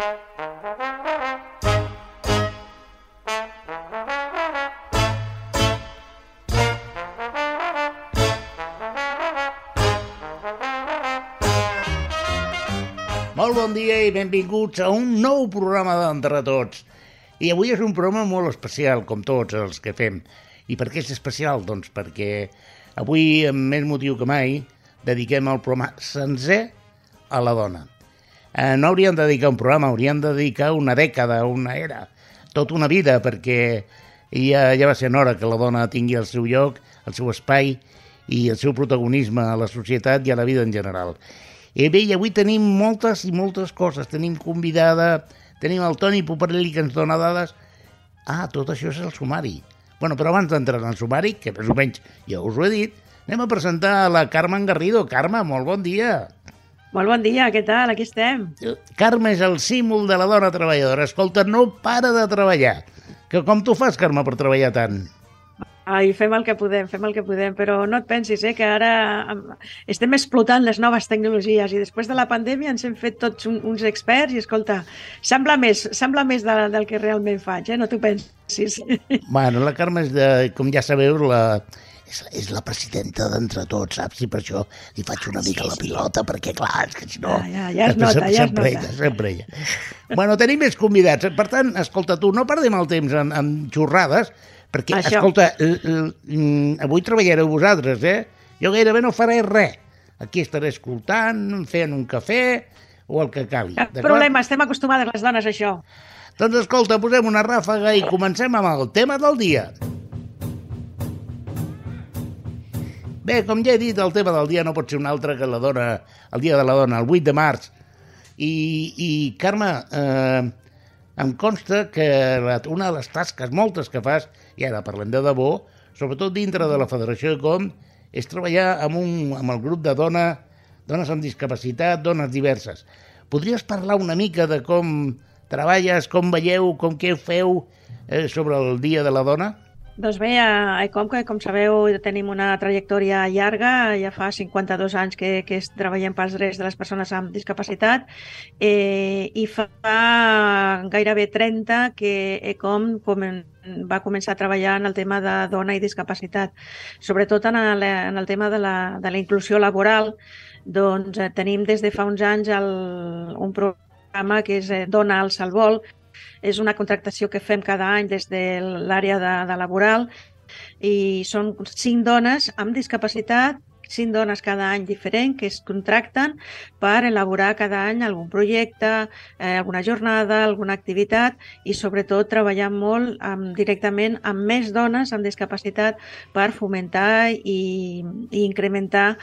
Molt bon dia i benvinguts a un nou programa d'Entre Tots. I avui és un programa molt especial, com tots els que fem. I per què és especial? Doncs perquè avui, amb més motiu que mai, dediquem el programa sencer a la dona. No hauríem de dedicar un programa, hauríem de dedicar una dècada, una era, tota una vida, perquè ja va ser hora que la dona tingui el seu lloc, el seu espai i el seu protagonisme a la societat i a la vida en general. I bé, avui tenim moltes i moltes coses. Tenim convidada, tenim el Toni Poparelli que ens dona dades. Tot això és el sumari. Bueno, però abans d'entrar en el sumari, que més o menys ja us ho he dit, anem a presentar a la Carmen Garrido. Carme, molt bon dia. Molt bon dia, què tal? Aquí estem. Carme és el símbol de la dona treballadora. Escolta, no para de treballar. Com tu fas, Carme, per treballar tant? Ai, fem el que podem, però no et pensis, que ara estem explotant les noves tecnologies i després de la pandèmia ens hem fet tots uns experts i, escolta, sembla més del que realment faig, no t'ho pensis. Bueno, la Carme és, com ja sabeu, és la presidenta d'Entre Tots, saps? I per això li faig una mica la pilota, perquè, clar, és que si no... Ja es nota. Sempre ella. Bueno, tenim més convidats. Per tant, escolta, tu, no perdem el temps en xorrades, perquè, això. Escolta, avui treballareu vosaltres, Jo gairebé no faré res. Aquí estaré escoltant, fent un cafè o el que calgui. Cap problema, estem acostumades les dones a això. Doncs escolta, posem una ràfaga i comencem amb el tema del dia. Bé, com ja he dit, el tema del dia no pot ser un altre que la dona, el dia de la dona, el 8 de març. I Carme, em consta que una de les tasques, moltes que fas, i ara parlem de debò, sobretot dintre de la Federació de Com, és treballar amb el grup de dones amb discapacitat, dones diverses. Podries parlar una mica de com treballes, com veieu, què feu sobre el Dia de la Dona? Doncs bé, a ECOM, com sabeu, tenim una trajectòria llarga, ja fa 52 anys que treballem pels drets de les persones amb discapacitat i fa gairebé 30 que ECOM va començar a treballar en el tema de dona i discapacitat. Sobretot en el tema de la inclusió laboral, doncs tenim des de fa uns anys un programa que és Dona al Salvol. És una contractació que fem cada any des de l'àrea de laboral i són 5 dones amb discapacitat, 5 dones cada any diferent que es contracten per elaborar cada any algun projecte, alguna jornada, alguna activitat i sobretot treballar molt directament amb més dones amb discapacitat per fomentar i incrementar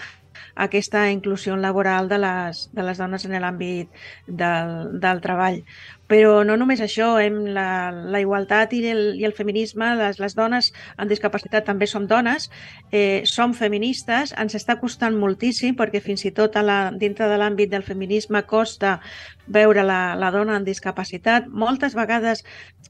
aquesta inclusió laboral de les dones en l'àmbit del treball. Però no només això, la igualtat i el feminisme, les dones amb discapacitat també som dones, som feministes, ens està costant moltíssim perquè fins i tot dintre de l'àmbit del feminisme costa veure la dona amb discapacitat, moltes vegades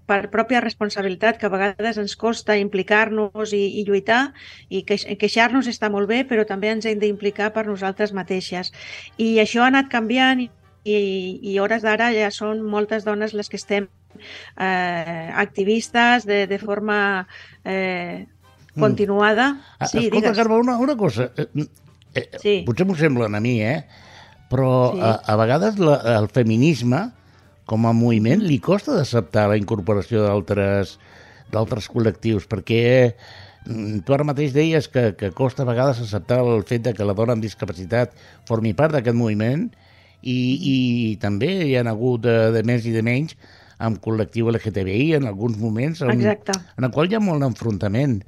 per pròpia responsabilitat, que a vegades ens costa implicar-nos i lluitar, i queixar-nos està molt bé, però també ens hem d'implicar per nosaltres mateixes. I això ha anat canviant i hores d'ara ja són moltes dones les que estem activistes de forma continuada. Sí, escolta, Carme, una cosa. Sí. Potser m'ho semblen a mi, però sí. A vegades el feminisme, com a moviment, li costa d'acceptar la incorporació d'altres col·lectius, perquè tu ara mateix deies que costa a vegades acceptar el fet que la dona amb discapacitat formi part d'aquest moviment i també hi ha hagut de més i de menys amb col·lectiu LGTBI en alguns moments en el qual hi ha molt enfrontament.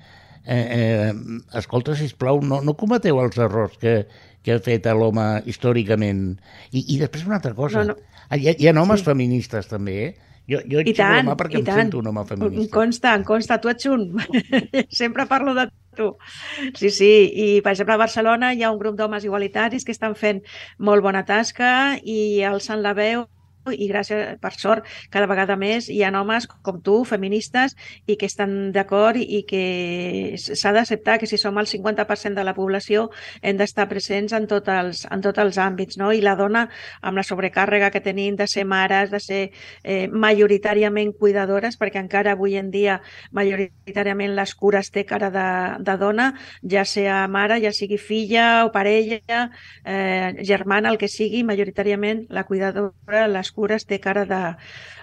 Escolta, sisplau, no cometeu els errors que ha fet l'home històricament. I després una altra cosa, hi ha homes feministes també, Jo ets un home perquè em sento un home feminista. Em consta, tu ets un. Sempre parlo de tu. Sí, i per exemple a Barcelona hi ha un grup d'homes igualitaris que estan fent molt bona tasca i alçant la veu i gràcies, per sort, cada vegada més hi ha homes com tu, feministes, i que estan d'acord i que s'ha d'acceptar que si som el 50% de la població hem d'estar presents en tots els àmbits, no? I la dona, amb la sobrecàrrega que tenim de ser mares, de ser majoritàriament cuidadores, perquè encara avui en dia majoritàriament les cures té cara de dona, ja sigui mare, ja sigui filla o parella, germana, el que sigui, majoritàriament la cuidadora, les cures té cara de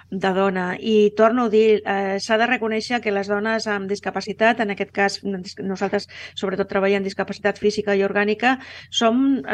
dona. I torno a dir, s'ha de reconèixer que les dones amb discapacitat, en aquest cas nosaltres sobretot treballem en discapacitat física i orgànica, som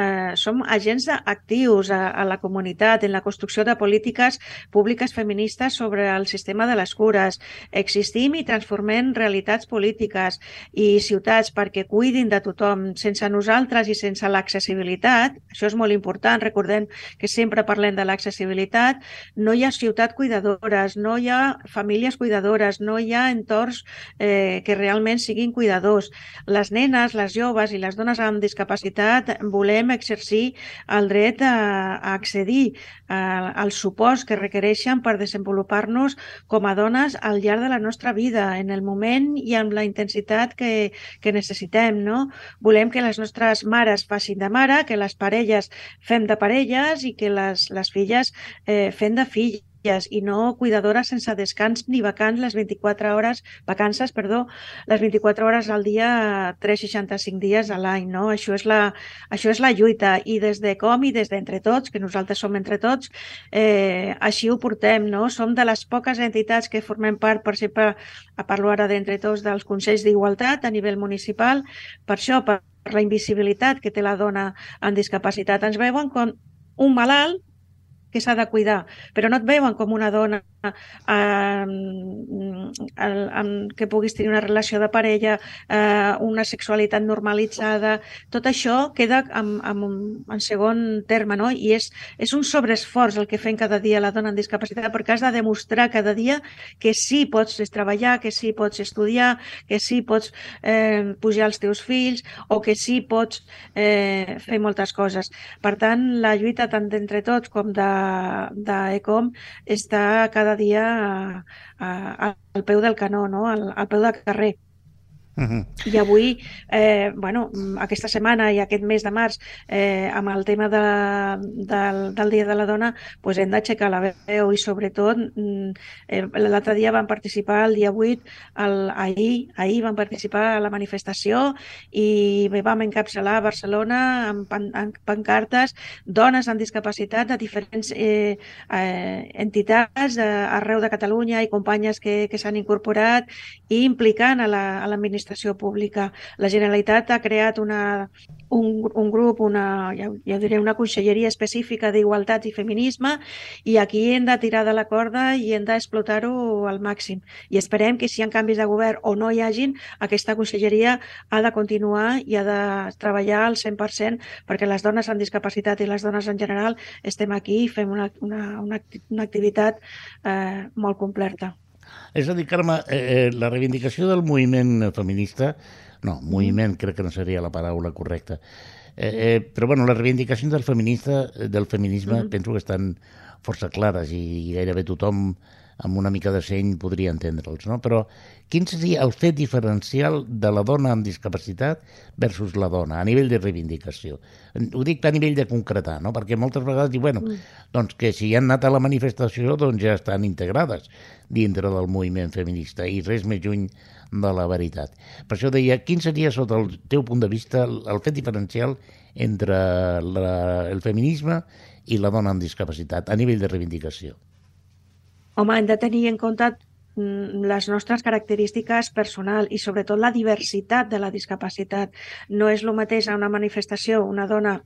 agents actius a la comunitat, en la construcció de polítiques públiques feministes sobre el sistema de les cures. Existim i transformem realitats polítiques i ciutats perquè cuidin de tothom. Sense nosaltres i sense l'accessibilitat, això és molt important, recordem que sempre parlem de l'accessibilitat, no hi ha ciutat cuidadora, no hi ha famílies cuidadores, no hi ha entorns que realment siguin cuidadors. Les nenes, les joves i les dones amb discapacitat volem exercir el dret a accedir als suports que requereixen per desenvolupar-nos com a dones al llarg de la nostra vida, en el moment i amb la intensitat que necessitem, no? Volem que les nostres mares facin de mare, que les parelles fem de parelles i que les filles fem de filles, i no cuidadores sense descans ni vacances les 24 hores, les 24 hores al dia, 365 dies a l'any, no? Això és la lluita, i des de com i des d'entre tots, que nosaltres som entre tots, així ho portem, no? Som de les poques entitats que formem part, per exemple, parlo ara d'entre tots, dels Consells d'Igualtat a nivell municipal, per això, per la invisibilitat que té la dona amb discapacitat. Ens veuen com un malalt que s'ha de cuidar, però no et veuen com una dona que puguis tenir una relació de parella, una sexualitat normalitzada. Tot això queda en segon terme, no? I és un sobreesforç el que fem cada dia la dona amb discapacitat, perquè has de demostrar cada dia que sí pots treballar, que sí pots estudiar, que sí pots pujar els teus fills, o que sí pots fer moltes coses. Per tant, la lluita tant d'entre tots com d'ECOM està cada dia al peu del canó, no? Al peu del carrer. I avui, aquesta setmana i aquest mes de març, amb el tema del Dia de la Dona, doncs hem d'aixecar la veu, i sobretot l'altre dia vam participar, el dia 8, ahir vam participar a la manifestació i vam encapçalar a Barcelona amb pancartes, dones amb discapacitat de diferents entitats arreu de Catalunya i companyes que s'han incorporat i implicant a l'administració pública. La Generalitat ha creat un grup, ja diré, una conselleria específica d'igualtat i feminisme, i aquí hem de tirar de la corda i hem d'explotar-ho al màxim. I esperem que si hi ha canvis de govern o no hi hagin, aquesta conselleria ha de continuar i ha de treballar al 100% perquè les dones amb discapacitat i les dones en general estem aquí i fem una activitat molt completa. És a dir, Carme, la reivindicació del moviment feminista, moviment crec que no seria la paraula correcta, però bueno, les reivindicacions del feminisme penso que estan força clares i gairebé tothom amb una mica de seny podria entendre'ls, no? Però quin seria el fet diferencial de la dona amb discapacitat versus la dona a nivell de reivindicació? Ho dic a nivell de concretar, no? Perquè moltes vegades diuen, doncs que si han anat a la manifestació doncs ja estan integrades dintre del moviment feminista, i res més lluny de la veritat. Per això deia, quin seria, sota el teu punt de vista, el fet diferencial entre el feminisme i la dona amb discapacitat a nivell de reivindicació? Home, hem de tenir en compte les nostres característiques personals i sobretot la diversitat de la discapacitat. No és el mateix a una manifestació una dona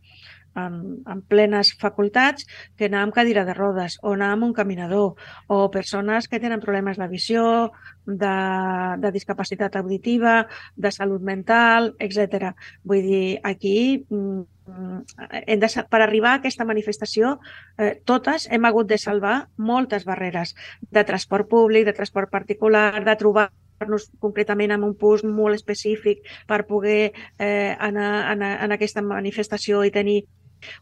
amb plenes facultats que anar amb cadira de rodes o anar amb un caminador, o persones que tenen problemes de visió, de discapacitat auditiva, de salut mental, etc. Vull dir, aquí per arribar a aquesta manifestació totes hem hagut de salvar moltes barreres de transport públic, de transport particular, de trobar-nos concretament en un punt molt específic per poder anar en aquesta manifestació i tenir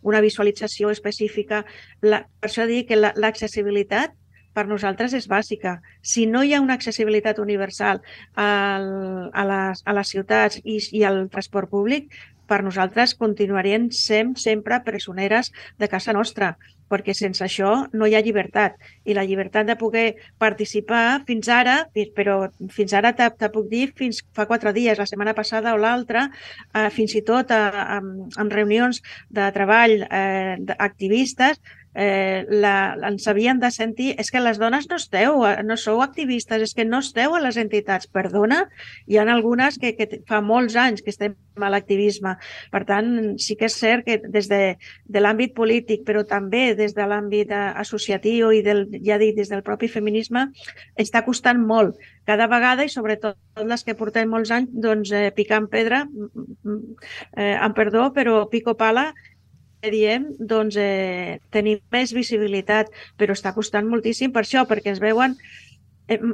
una visualització específica. Per això dic que l'accessibilitat per nosaltres és bàsica. Si no hi ha una accessibilitat universal a les ciutats i al transport públic, per nosaltres continuarien sent sempre presoneres de casa nostra, perquè sense això no hi ha llibertat. I la llibertat de poder participar fins ara, però fins ara te puc dir fins fa 4 dies, la setmana passada o l'altra, fins i tot en reunions de treball activistes, ens havien de sentir és que les dones no sou activistes, és que no esteu a les entitats. Perdona, hi ha algunes que fa molts anys que estem a l'activisme. Per tant, sí que és cert que des de l'àmbit polític, però també des de l'àmbit associatiu i ja dic, des del propi feminisme, està costant molt. Cada vegada, i sobretot les que portem molts anys, doncs picant pedra, amb perdó, però pico pala, diem, doncs tenim més visibilitat, però està costant moltíssim per això, perquè es veuen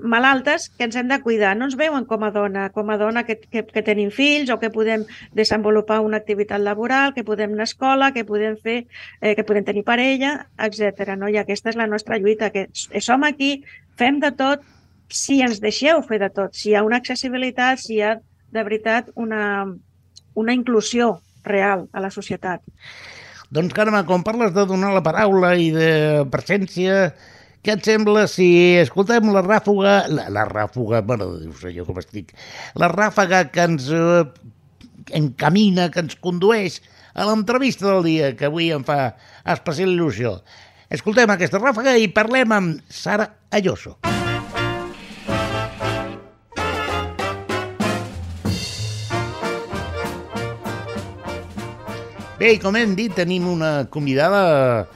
malaltes que ens hem de cuidar. No ens veuen com a dona que tenim fills o que podem desenvolupar una activitat laboral, que podem anar a escola, que podem fer, que podem tenir parella, etc. No? I aquesta és la nostra lluita, que som aquí, fem de tot, si ens deixeu fer de tot, si hi ha una accessibilitat, si hi ha de veritat una inclusió real a la societat. Doncs, Carme, quan parles de donar la paraula i de presència, què et sembla si escoltem la ràfuga, mare de Déu, sé jo com estic, la ràfaga que ens encamina, que ens condueix a l'entrevista del dia, que avui em fa especial il·lusió. Escoltem aquesta ràfaga i parlem amb Sara Ayoso. Bé, com hem dit, tenim una convidada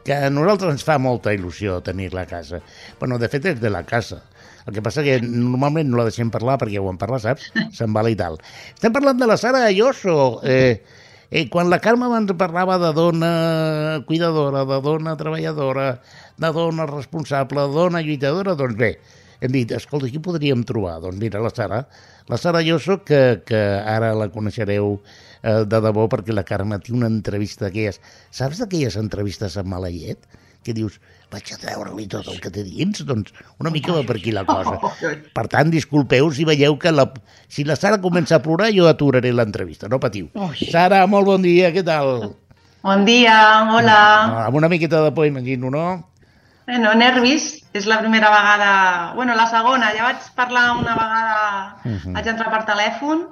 que a nosaltres ens fa molta il·lusió tenir-la a casa. Bueno, de fet, és de la casa. El que passa que normalment no la deixem parlar perquè ho en parla, saps? Se'n va i tal. Estem parlant de la Sara Ayoso. Quan la Carme abans parlava de dona cuidadora, de dona treballadora, de dona responsable, de dona lluitadora, doncs bé, hem dit, escolta, qui podríem trobar? Doncs mira, la Sara Ayoso, que ara la coneixereu de debò perquè la Carme té una entrevista d'aquelles, saps d'aquelles entrevistes amb mala llet? Que dius, vaig a treure-li tot el que té dins, doncs una mica va per aquí la cosa. Per tant, disculpeu si veieu que si la Sara comença a plorar, jo aturaré l'entrevista, no patiu. Sara, molt bon dia, què tal? Bon dia, hola. Amb una miqueta de por, imagino, no? Bueno, nervis, és la primera vegada, bueno, la segona, ja vaig parlar una vegada, vaig entrar per telèfon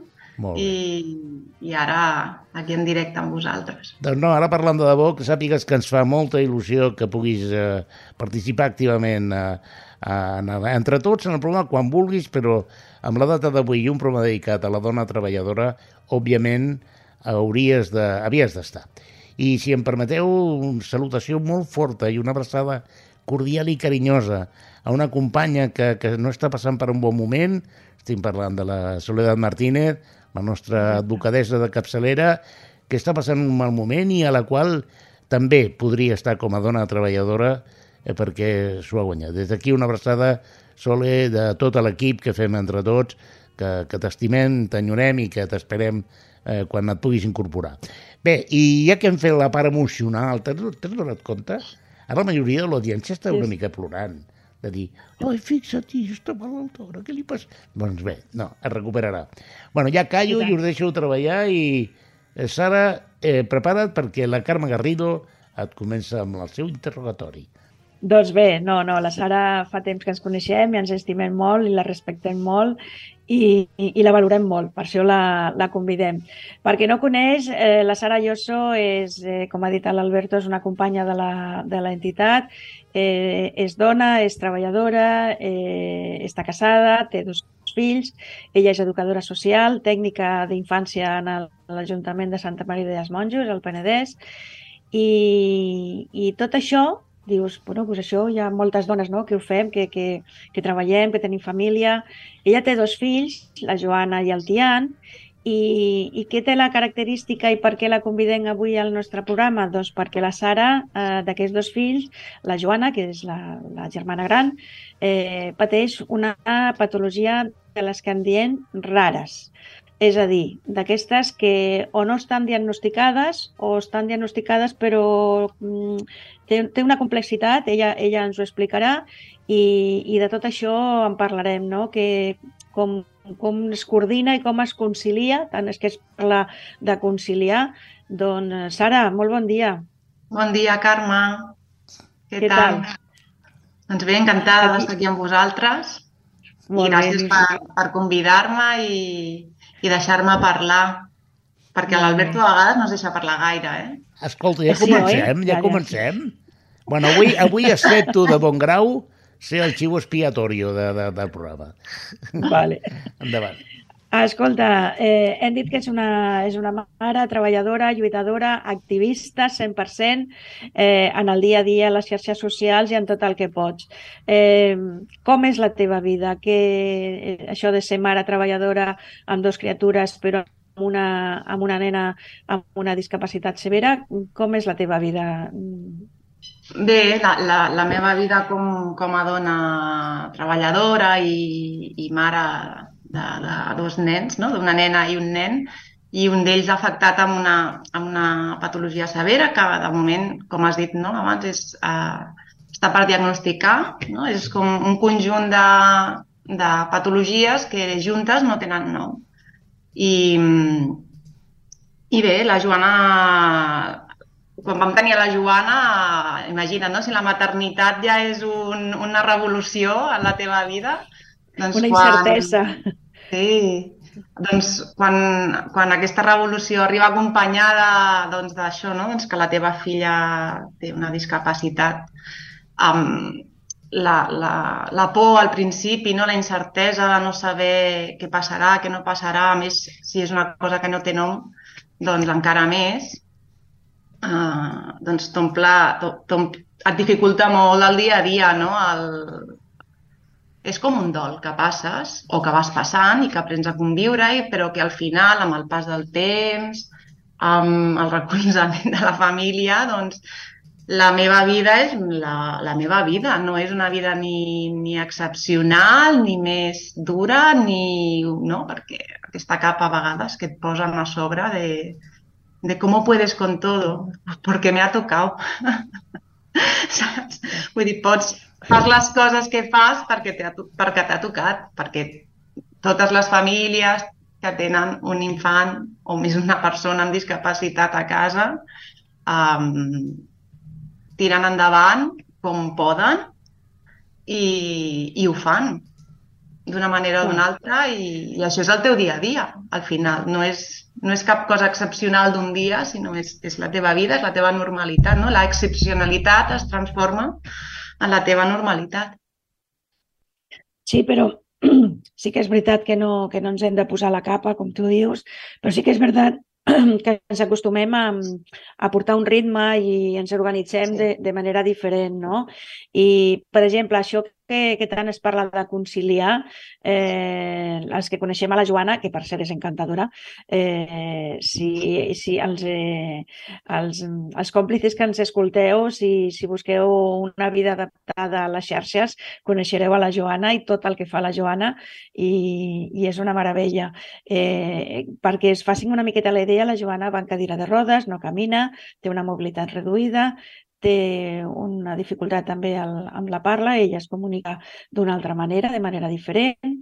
i ara aquí en directe amb vosaltres. Doncs no, ara parlant de debò, que sàpigues que ens fa molta il·lusió que puguis participar activament entre tots en el programa quan vulguis, però amb la data d'avui i un programa dedicat a la dona treballadora, òbviament havies d'estar. I si em permeteu, una salutació molt forta i una abraçada cordial i carinyosa a una companya que no està passant per un bon moment. Estic parlant de la Soledad Martínez, la nostra advocadessa de capçalera, que està passant un mal moment i a la qual també podria estar com a dona treballadora perquè s'ho ha guanyat. Des d'aquí una abraçada, Sole, de tot l'equip que fem entre tots, que t'estimem, t'enyorem i que t'esperem quan et puguis incorporar. Bé, i ja que hem fet la part emocional, t'has donat compte? Ara la majoria de l'audiència està una mica plorant, de dir, oi, fixa't, està malaltora, què li passa? Doncs bé, no, es recuperarà. Bueno, ja callo i us deixo treballar i, Sara, prepara't perquè la Carme Garrido et comença amb el seu interrogatori. Doncs bé, no, la Sara fa temps que ens coneixem i ens estimem molt i la respectem molt i la valorem molt, per això la convidem. Per qui no coneix, la Sara Ayoso és, com ha dit l'Alberto, és una companya de l'entitat, és dona, és treballadora, està casada, té 2 fills, ella és educadora social, tècnica d'infància en l'Ajuntament de Santa Maria dels Monjos, al Penedès, i tot això, dius, bueno, doncs això hi ha moltes dones, no?, que ho fem, que treballem, que tenim família. Ella té 2 fills, la Joana i el Tian, i què té la característica i per què la convidem avui al nostre programa? Doncs perquè la Sara, d'aquests 2 fills, la Joana, que és la germana gran, pateix una patologia de les que en diem rares. És a dir, d'aquestes que o no estan diagnosticades o estan diagnosticades però té una complexitat, ella ens ho explicarà i de tot això en parlarem, no? Com es coordina i com es concilia, tant és que es parla de conciliar. Doncs, Sara, molt bon dia. Bon dia, Carme. Què tal? Doncs bé, encantada d'estar aquí amb vosaltres i gràcies per convidar-me i deixar-me parlar, perquè l'Alberto a vegades no es deixa parlar gaire, Escolta, ja comencem. Bueno, avui has fet tu de bon grau ser el xivo expiatorio del programa. Vale. Endavant. Escolta, hem dit que és una mare treballadora, lluitadora, activista 100% en el dia a dia, a les xarxes socials i en tot el que pots. Com és la teva vida? Això de ser mare treballadora amb 2 criatures però amb una nena amb una discapacitat severa, com és la teva vida? Bé, la meva vida com a dona treballadora i mare de 2 nens, no? D'una nena i un nen, i un d'ells afectat amb una patologia severa que de moment, com has dit abans, està per diagnosticar, no? És com un conjunt de patologies que juntes no tenen nom. I bé, la Joana, quan vam tenir la Joana, imagina't, no? Si la maternitat ja és una revolució en la teva vida, doncs una incertesa. Sí, doncs quan aquesta revolució arriba acompanyada d'això, doncs que la teva filla té una discapacitat, la por al principi, la incertesa de no saber què passarà, què no passarà, a més, si és una cosa que no té nom, doncs encara més, doncs et dificulta molt el dia a dia, no? És com un dol que passes o que vas passant i que aprens a conviure, però que al final, amb el pas del temps, amb el recolzament de la família, doncs la meva vida és la meva vida. No és una vida ni excepcional, ni més dura, no, perquè aquesta capa a vegades que et posen a sobre de cómo puedes con todo, porque me ha tocado. Saps? Vull dir, fas les coses que fas perquè t'ha tocat, perquè totes les famílies que tenen un infant o més una persona amb discapacitat a casa tiren endavant com poden i ho fan d'una manera o d'una altra i això és el teu dia a dia, al final. No és cap cosa excepcional d'un dia, sinó és la teva vida, és la teva normalitat, no? La excepcionalitat es transforma en la teva normalitat. Sí, però sí que és veritat que no ens hem de posar la capa, com tu dius, però sí que és veritat que ens acostumem a portar un ritme i ens organitzem de manera diferent, no? I, per exemple, això que tant es parla de conciliar, els que coneixem a la Joana, que per cert és encantadora, si els còmplices que ens escolteu, si busqueu una vida adaptada a les xarxes, coneixereu a la Joana i tot el que fa la Joana i és una meravella. Perquè es facin una miqueta la idea, la Joana va en cadira de rodes, no camina, té una mobilitat reduïda, té una dificultat també amb la parla, ella es comunica d'una altra manera, de manera diferent.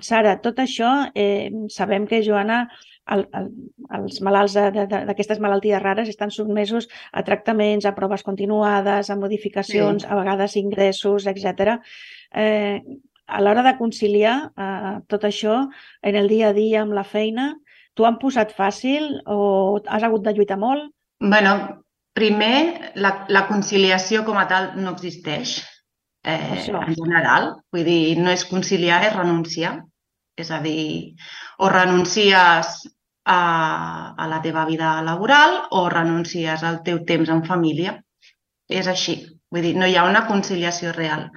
Sara, tot això, sabem que, Joana, els malalts d'aquestes malalties rares estan sotmesos a tractaments, a proves continuades, a modificacions, a vegades ingressos, etc. A l'hora de conciliar tot això en el dia a dia amb la feina, t'ho han posat fàcil o has hagut de lluitar molt? Bueno, primer, la conciliació com a tal no existeix en general. Vull dir, no és conciliar, és renunciar. És a dir, o renuncies a la teva vida laboral o renuncies al teu temps en família. És així. Vull dir, no hi ha una conciliació real.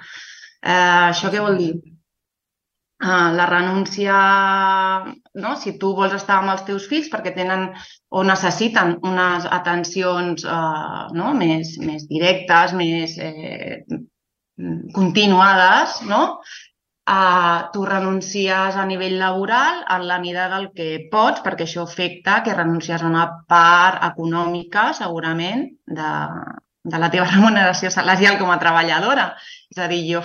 Això què vol dir? La renúncia, no? Si tu vols estar amb els teus fills perquè tenen o necessiten unes atencions més directes, més continuades, no? tu renuncies a nivell laboral en la mida del que pots, perquè això afecta que renuncies a una part econòmica, segurament, de la teva remuneració salarial com a treballadora. És a dir, jo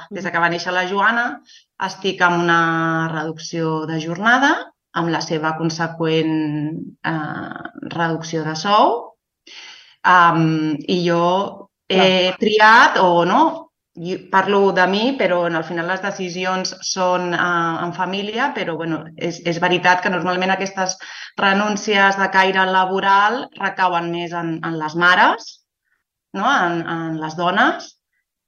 des que va néixer la Joana, estic amb una reducció de jornada, amb la seva conseqüent reducció de sou, i jo he triat, o no, parlo de mi, però al final les decisions són en família, però és veritat que normalment aquestes renúncies de caire laboral recauen més en les mares, en les dones,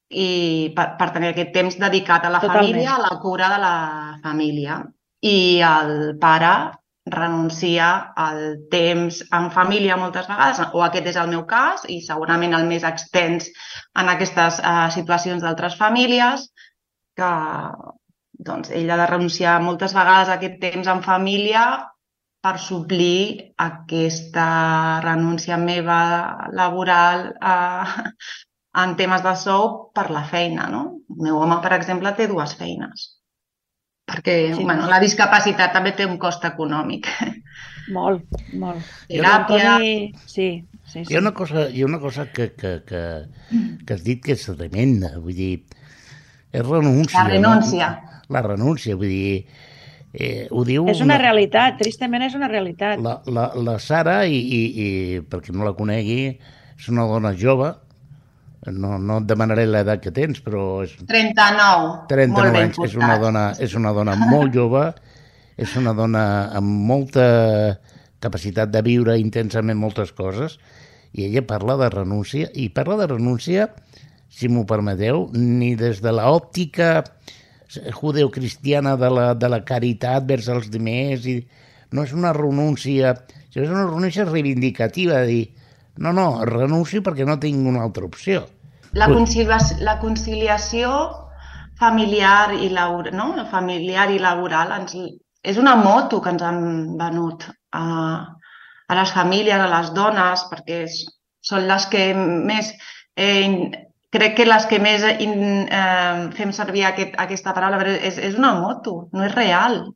i per tenir aquest temps dedicat a la família, a la cura de la família. I el pare renuncia al temps en família moltes vegades, o aquest és el meu cas, i segurament el més extens en aquestes situacions d'altres famílies, que ell ha de renunciar moltes vegades a aquest temps en família per suplir aquesta renúncia meva laboral en temes de sou per la feina. El meu home, per exemple, té 2 feines. Perquè la discapacitat també té un cost econòmic. Molt, molt. Teràpia... Sí. Hi ha una cosa que has dit que és tremenda, vull dir, és renúncia. La renúncia. La renúncia, vull dir, ho diu... És una realitat, tristament és una realitat. La Sara, i perquè no la conegui, és una dona jove. No et demanaré l'edat que tens, però... 39. 39 anys. És una dona molt jove, és una dona amb molta capacitat de viure intensament moltes coses, i ella parla de renúncia, i parla de renúncia, si m'ho permeteu, ni des de l'òptica judeocristiana de la caritat vers els demés, no és una renúncia, és una renúncia reivindicativa, de dir, no, renuncio perquè no tinc una altra opció. La conciliació familiar i laboral és una moto que ens han venut a les famílies, a les dones, perquè són les que més... Crec que les que més fem servir aquesta paraula, però és una moto, no és real.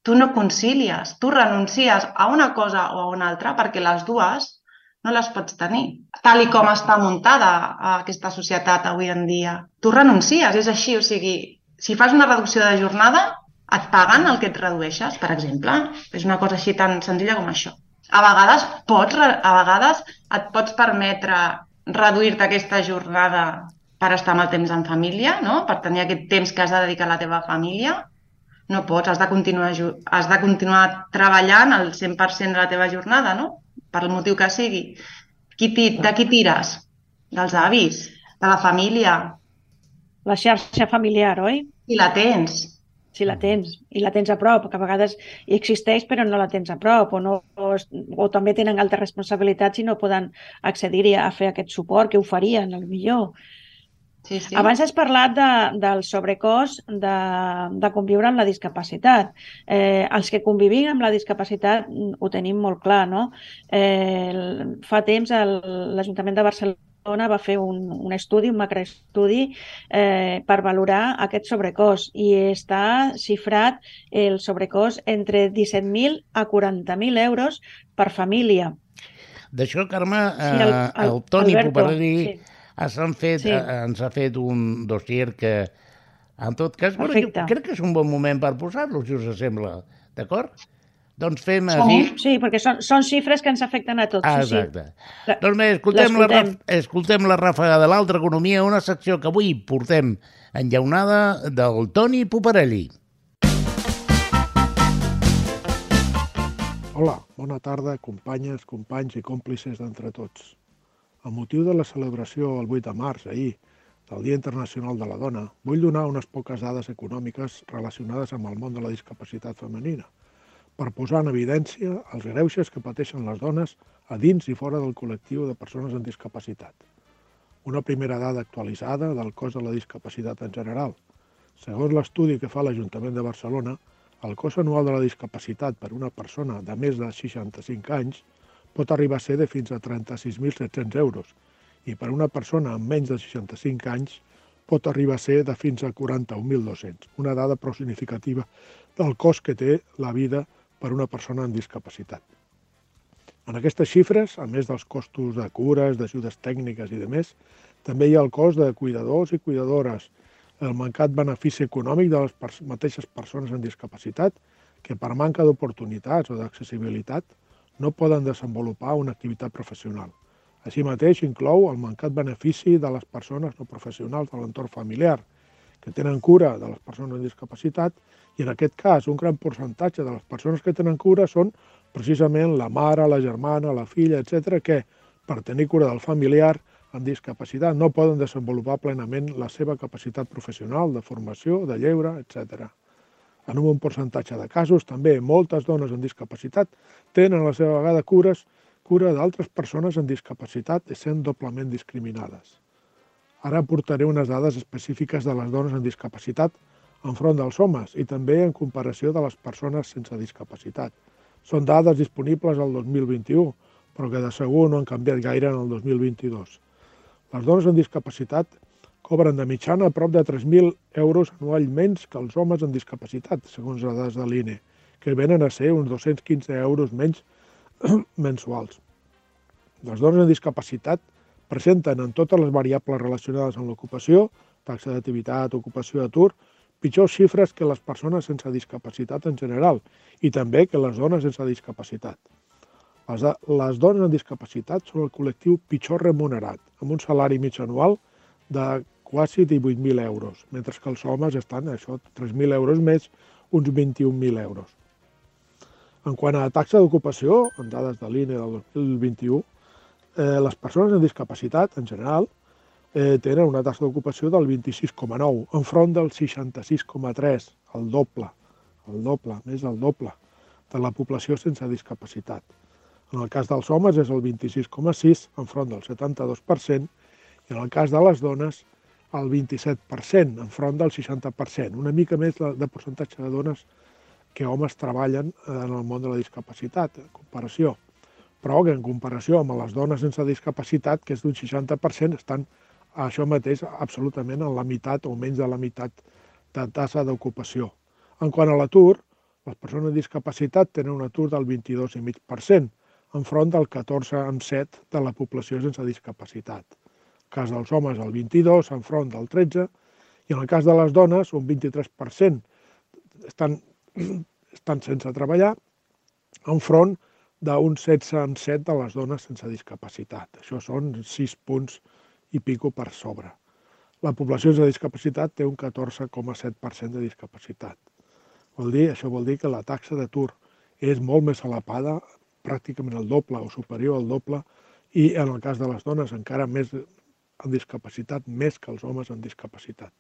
Tu no concilies, tu renuncies a una cosa o a una altra perquè les dues no les pots tenir. Tal com està muntada aquesta societat avui en dia. Tu renuncies, és així. O sigui, si fas una reducció de jornada, et paguen el que et redueixes, per exemple. És una cosa així tan senzilla com això. A vegades et pots permetre reduir-te aquesta jornada per estar amb el temps en família, per tenir aquest temps que has de dedicar a la teva família. No pots, has de continuar treballant el 100% de la teva jornada, per el motiu que sigui. De qui tires? Dels avis? De la família? La xarxa familiar, oi? Si la tens. Si la tens, i la tens a prop, que a vegades existeix però no la tens a prop, o també tenen altres responsabilitats i no poden accedir a fer aquest suport que oferien, potser. Sí. Abans has parlat del sobrecost de conviure amb la discapacitat. Els que convivim amb la discapacitat ho tenim molt clar, no? Fa temps l'Ajuntament de Barcelona va fer un estudi, un macroestudi, per valorar aquest sobrecost, i està xifrat el sobrecost entre 17.000 a 40.000 euros per família. D'això, Carme, el Toni Puparelli... ens ha fet un dossier que, en tot cas, crec que és un bon moment per posar-lo, si us sembla, d'acord? Doncs fem... Sí, perquè són xifres que ens afecten a tots. Exacte. Doncs bé, escoltem la ràfaga de l'altra economia, una secció que avui portem enllaunada del Toni Puparelli. Hola, bona tarda, companyes, companys i còmplices d'entre tots. Amb motiu de la celebració el 8 de març, ahir, del Dia Internacional de la Dona, vull donar unes poques dades econòmiques relacionades amb el món de la discapacitat femenina, per posar en evidència els greuges que pateixen les dones a dins i fora del col·lectiu de persones amb discapacitat. Una primera dada actualitzada del cost de la discapacitat en general. Segons l'estudi que fa l'Ajuntament de Barcelona, el cost anual de la discapacitat per una persona de més de 65 anys pot arribar a ser de fins a 36.700 euros i per una persona amb menys de 65 anys pot arribar a ser de fins a 41.200, una dada prou significativa del cost que té la vida per una persona amb discapacitat. En aquestes xifres, a més dels costos de cures, d'ajudes tècniques i de més, també hi ha el cost de cuidadors i cuidadores, el mancat benefici econòmic de les mateixes persones amb discapacitat que per manca d'oportunitats o d'accessibilitat no poden desenvolupar una activitat professional. Així mateix inclou el mancat benefici de les persones no professionals de l'entorn familiar, que tenen cura de les persones amb discapacitat, i en aquest cas un gran percentatge de les persones que tenen cura són precisament la mare, la germana, la filla, etc., que per tenir cura del familiar amb discapacitat no poden desenvolupar plenament la seva capacitat professional, de formació, de lleure, etc. En un bon percentatge de casos, també moltes dones amb discapacitat tenen a la seva vegada cura d'altres persones amb discapacitat essent doblement discriminades. Ara aportaré unes dades específiques de les dones amb discapacitat enfront dels homes i també en comparació de les persones sense discapacitat. Són dades disponibles al 2021, però que de segur no han canviat gaire en el 2022. Les dones amb discapacitat cobren de mitjana a prop de 3.000 euros anual menys que els homes amb discapacitat, segons les dades de l'INE, que venen a ser uns 215 euros menys mensuals. Les dones amb discapacitat presenten en totes les variables relacionades amb l'ocupació, taxa d'activitat, ocupació d'atur, pitjors xifres que les persones sense discapacitat en general i també que les dones sense discapacitat. Les dones amb discapacitat són el col·lectiu pitjor remunerat, amb un salari mig anual de quasi 18.000 euros, mentre que els homes estan, 3.000 euros més, uns 21.000 euros. En quant a la taxa d'ocupació, en dades de l'INE del 2021, les persones amb discapacitat, en general, tenen una taxa d'ocupació del 26,9, enfront del 66,3, el doble, més del doble, de la població sense discapacitat. En el cas dels homes és el 26,6, enfront del 72%, i en el cas de les dones el 27%, enfront del 60%, una mica més de percentatge de dones que homes treballen en el món de la discapacitat, en comparació. Però que en comparació amb les dones sense discapacitat, que és d'un 60%, estan això mateix absolutament en la meitat o menys de la meitat de taxa d'ocupació. En quant a l'atur, les persones amb discapacitat tenen un atur del 22,5%, enfront del 14,7% de la població sense discapacitat. En el cas dels homes, el 22%, enfront del 13%, i en el cas de les dones, un 23% estan sense treballar, enfront d'un 16,7% de les dones sense discapacitat. Això són 6 punts i pico per sobre. La població sense discapacitat té un 14,7% de discapacitat. Això vol dir que la taxa d'atur és molt més elevada, pràcticament el doble o superior al doble, i en el cas de les dones encara més amb discapacitat, més que els homes amb discapacitat.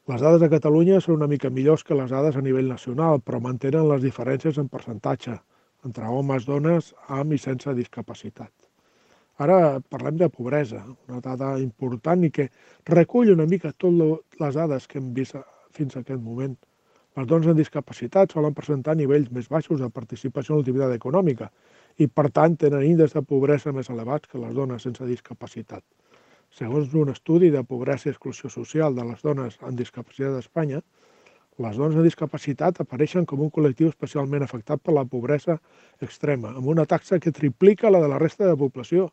Les dades de Catalunya són una mica millors que les dades a nivell nacional, però mantenen les diferències en percentatge entre homes, dones, amb i sense discapacitat. Ara parlem de pobresa, una dada important i que recull una mica totes les dades que hem vist fins a aquest moment. Les dones amb discapacitat solen presentar nivells més baixos de participació en l'activitat econòmica i, per tant, tenen índexs de pobresa més elevats que les dones sense discapacitat. Segons un estudi de pobresa i exclusió social de les dones amb discapacitat d'Espanya, les dones amb discapacitat apareixen com un col·lectiu especialment afectat per la pobresa extrema, amb una taxa que triplica la de la resta de la població,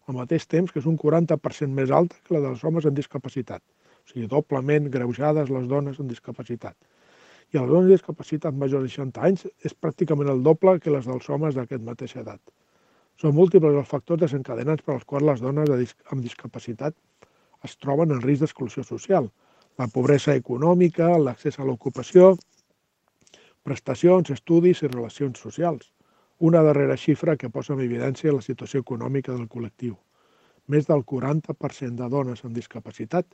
al mateix temps que és un 40% més alta que la dels homes amb discapacitat, o sigui, doblement greujades les dones amb discapacitat. I les dones amb discapacitat majors de 60 anys és pràcticament el doble que les dels homes d'aquesta mateixa edat. Són múltiples els factors desencadenants per als quals les dones amb discapacitat es troben en risc d'exclusió social. La pobresa econòmica, l'accés a l'ocupació, prestacions, estudis i relacions socials. Una darrera xifra que posa en evidència la situació econòmica del col·lectiu. Més del 40% de dones amb discapacitat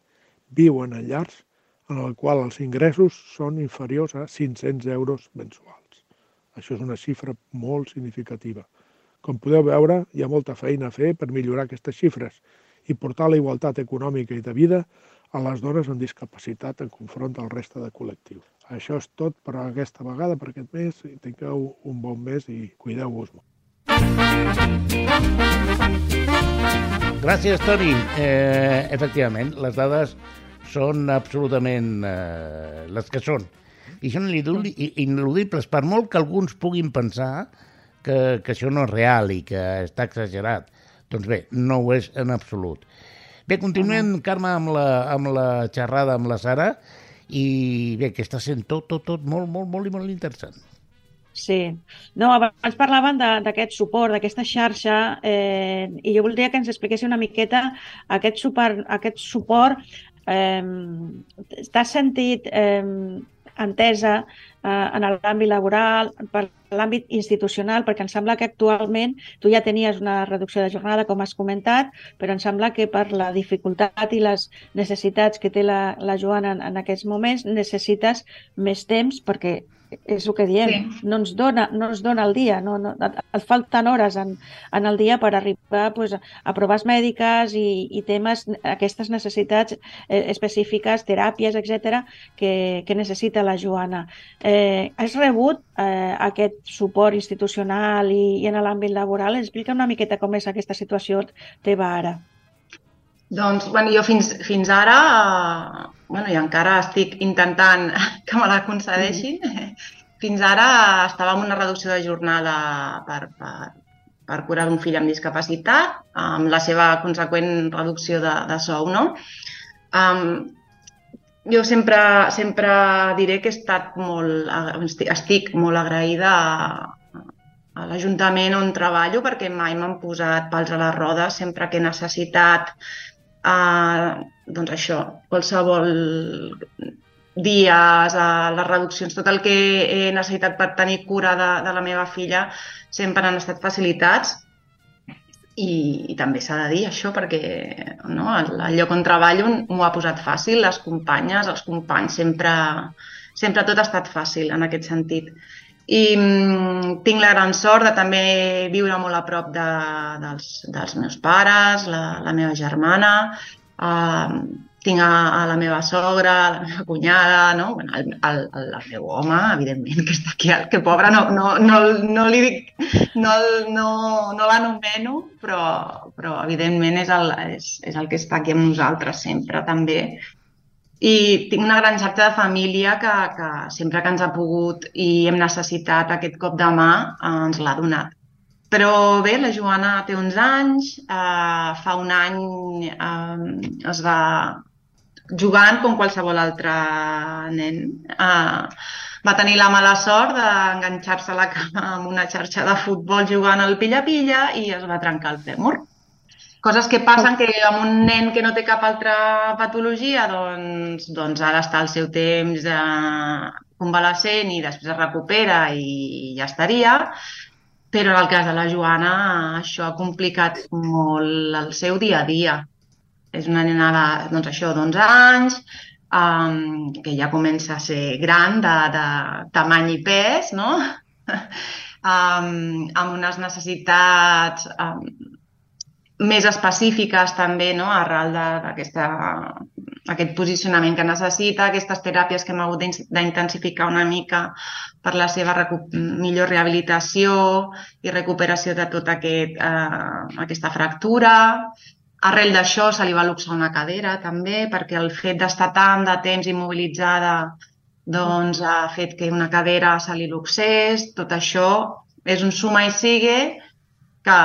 viuen en llars en el qual els ingressos són inferiors a 500 euros mensuals. Això és una xifra molt significativa. Com podeu veure, hi ha molta feina a fer per millorar aquestes xifres i portar la igualtat econòmica i de vida a les dones amb discapacitat en confront del reste de col·lectius. Això és tot per aquesta vegada, per aquest mes. Tingueu un bon mes i cuideu-vos molt. Gràcies, Toni. Efectivament, les dades són absolutament les que són. I són ineludibles, per molt que alguns puguin pensar que això no és real i que està exagerat. Doncs bé, no ho és en absolut. Bé, continuem, Carme, amb la xerrada amb la Sara, i bé, que està sent tot molt interessant. Sí. No, abans parlaven d'aquest suport, d'aquesta xarxa, i jo voldria que ens expliquessi una miqueta aquest suport. T'has sentit entesa en l'àmbit laboral, per l'àmbit institucional, perquè em sembla que actualment tu ja tenies una reducció de jornada, com has comentat, però em sembla que per la dificultat i les necessitats que té la Joana en aquests moments necessites més temps, perquè és el que diem, sí. no ens dona el dia, et falten hores en el dia per arribar a proves mèdiques i temes, aquestes necessitats específiques, teràpies, etc., que necessita la Joana. Has rebut aquest suport institucional i en l'àmbit laboral? Explica una miqueta com és aquesta situació teva ara. Doncs, jo fins ara, i encara estic intentant que me la concedeixin. Fins ara estava en una reducció de jornada per curar d'un fill amb discapacitat, amb la seva conseqüent reducció de sou, no? Jo sempre diré que estic molt agraïda a l'Ajuntament on treballo, perquè mai m'han posat pals a les rodes sempre que he necessitat doncs això, qualsevol dies, les reduccions, tot el que he necessitat per tenir cura de la meva filla sempre han estat facilitats. I també s'ha de dir això, perquè el lloc on treballo m'ho ha posat fàcil, les companyes, els companys, sempre tot ha estat fàcil en aquest sentit. I tinc la gran sort de també viure molt a prop dels meus pares, la meva germana, tinc a la meva sogra, la meva cunyada, el meu home, evidentment, que està aquí, que pobre, no li dic, no l'anomeno, però evidentment és el que està aquí amb nosaltres sempre també. I tinc una gran xarxa de família que sempre que ens ha pogut i hem necessitat aquest cop de mà ens l'ha donat. Però bé, la Joana té 11 anys, fa un any es va jugant com qualsevol altre nen. Va tenir la mala sort d'enganxar-se a la cama amb una xarxa de futbol jugant al pilla-pilla i es va trencar el fèmur. Coses que passen que amb un nen que no té cap altra patologia, doncs ara està al seu temps convalescent i després es recupera i ja estaria. Però en el cas de la Joana això ha complicat molt el seu dia a dia. És una nena d'11 anys, que ja comença a ser gran, de tamany i pes, no? Amb unes necessitats més específiques també, arrel d'aquest posicionament que necessita, aquestes teràpies que hem hagut d'intensificar una mica per la seva millor rehabilitació i recuperació de tota aquesta fractura. Arrel d'això se li va luxar una cadera també, perquè el fet d'estar tant de temps immobilitzada ha fet que una cadera se li luxés. Tot això és un suma i sigue que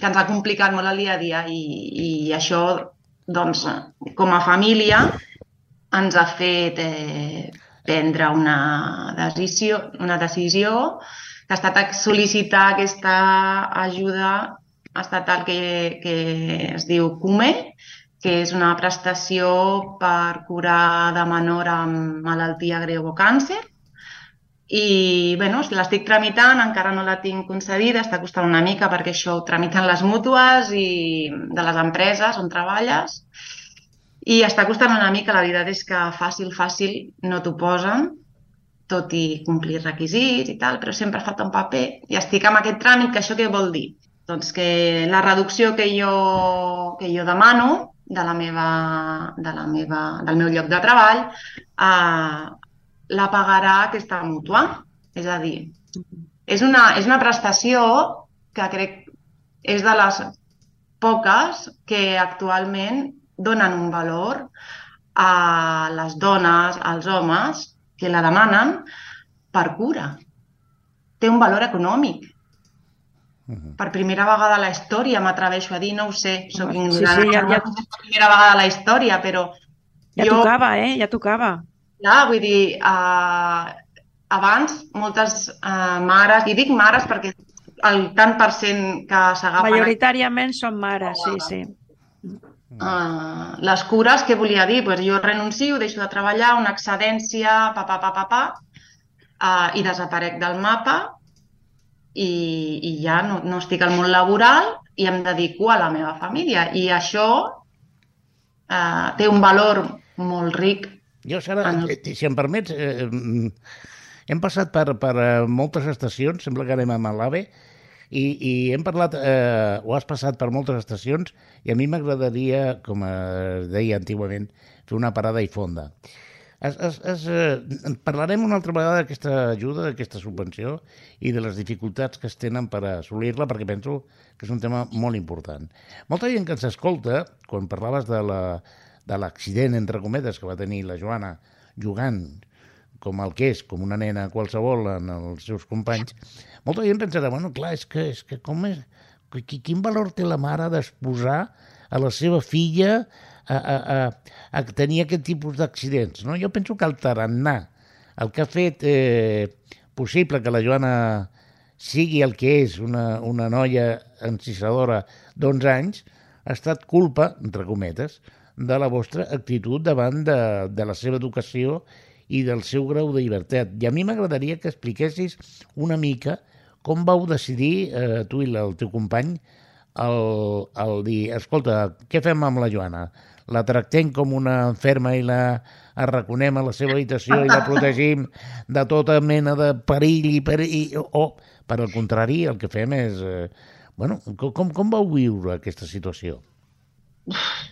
ens ha complicat molt el dia a dia i això, com a família, ens ha fet prendre una decisió que ha estat sol·licitar aquesta ajuda estatal que es diu CUME, que és una prestació per curar de menor amb malaltia greu o càncer. I l'estic tramitant, encara no la tinc concedida, està costant una mica perquè això ho tramiten les mútues i de les empreses on treballes i està costant una mica. La veritat és que fàcil no t'ho posen, tot i complir requisits i tal, però sempre falta un paper i estic amb aquest tràmit. Que això què vol dir? Doncs que la reducció que jo demano del meu lloc de treball la pagarà aquesta mútua. És a dir, és una prestació que crec és de les poques que actualment donen un valor a les dones, als homes, que la demanen per cura. Té un valor econòmic. Per primera vegada a la història, m'atreveixo a dir, no ho sé, soc ignorant. Per primera vegada a la història, però... Ja tocava, ja tocava. Clar, vull dir, abans moltes mares, i dic mares perquè el tant per cent que s'agafen... Majoritàriament són mares, sí. Les cures, què volia dir? Jo renuncio, deixo de treballar, una excedència, i desaparec del mapa i ja no estic al món laboral i em dedico a la meva família. I això té un valor molt ric. Jo, Sara, si em permets, hem passat per moltes estacions, sembla que anem a l'AVE, i hem parlat, o has passat per moltes estacions, i a mi m'agradaria, com es deia antigament, fer una parada i fonda. Parlarem una altra vegada d'aquesta ajuda, d'aquesta subvenció i de les dificultats que es tenen per assolir-la, perquè penso que és un tema molt important. Molta gent que ens escolta, quan parlaves de l'accident, entre cometes, que va tenir la Joana jugant com el que és, com una nena qualsevol en els seus companys, molta gent pensarà, bueno, clar, és que com és... Quin valor té la mare d'exposar a la seva filla a tenir aquest tipus d'accidents, no? Jo penso que el tarannà, el que ha fet possible que la Joana sigui el que és, una noia encisadora d'11 anys, ha estat culpa, entre cometes, de la vostra actitud davant de la seva educació i del seu grau de llibertat. I a mi m'agradaria que expliquessis una mica com vau decidir, tu i el teu company, el dir, escolta, què fem amb la Joana? La tractem com una enferma i la arraconem a la seva habitació i la protegim de tota mena de perill o, per al contrari, el que fem és... Bueno, com vau viure aquesta situació?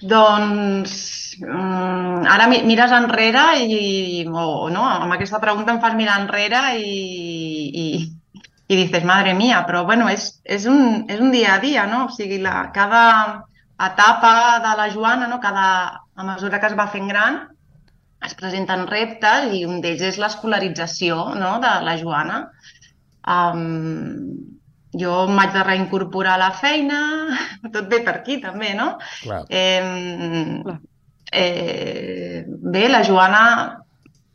Doncs ara mires enrere no, amb aquesta pregunta em fas mirar enrere i dices, madre mía, però bueno, és un dia a dia, no? O sigui, cada etapa de la Joana, no? A mesura que es va fent gran, es presenten reptes i un d'ells és l'escolarització, no? De la Joana. Jo em vaig de reincorporar a la feina, tot ve per aquí també, no? Clar. Bé, la Joana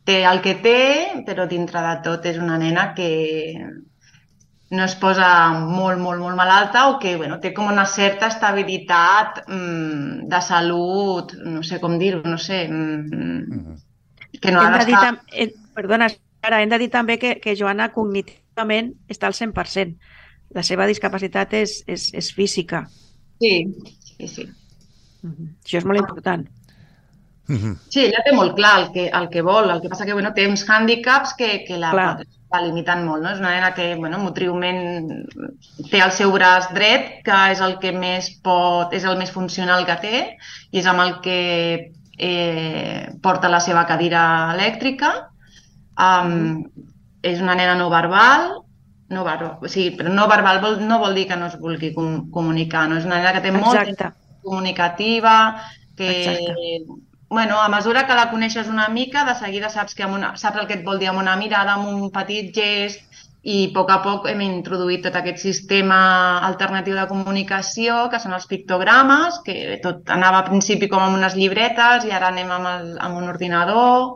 té el que té, però dintre de tot és una nena que no es posa molt malalta o que té com una certa estabilitat de salut, no sé com dir-ho, no sé, que no ha d'estar... Perdona, Sara, hem de dir també que Joana cognitivament està al 100%. La seva discapacitat és física. Sí. Això és molt important. Sí, ella té molt clar el que vol, el que passa que té uns hàndicaps que la limiten molt, no? És una nena que motriument té el seu braç dret, que és el que més és el més funcional que té, i és amb el que porta la seva cadira elèctrica. És una nena no verbal, però no verbal no vol dir que no es vulgui comunicar, no? És una nena que té molta comunicativa, que... a mesura que la coneixes una mica, de seguida saps el que et vol dir amb una mirada, amb un petit gest, i a poc hem introduït tot aquest sistema alternatiu de comunicació, que són els pictogrames, que tot anava a principi com amb unes llibretes i ara anem amb un ordinador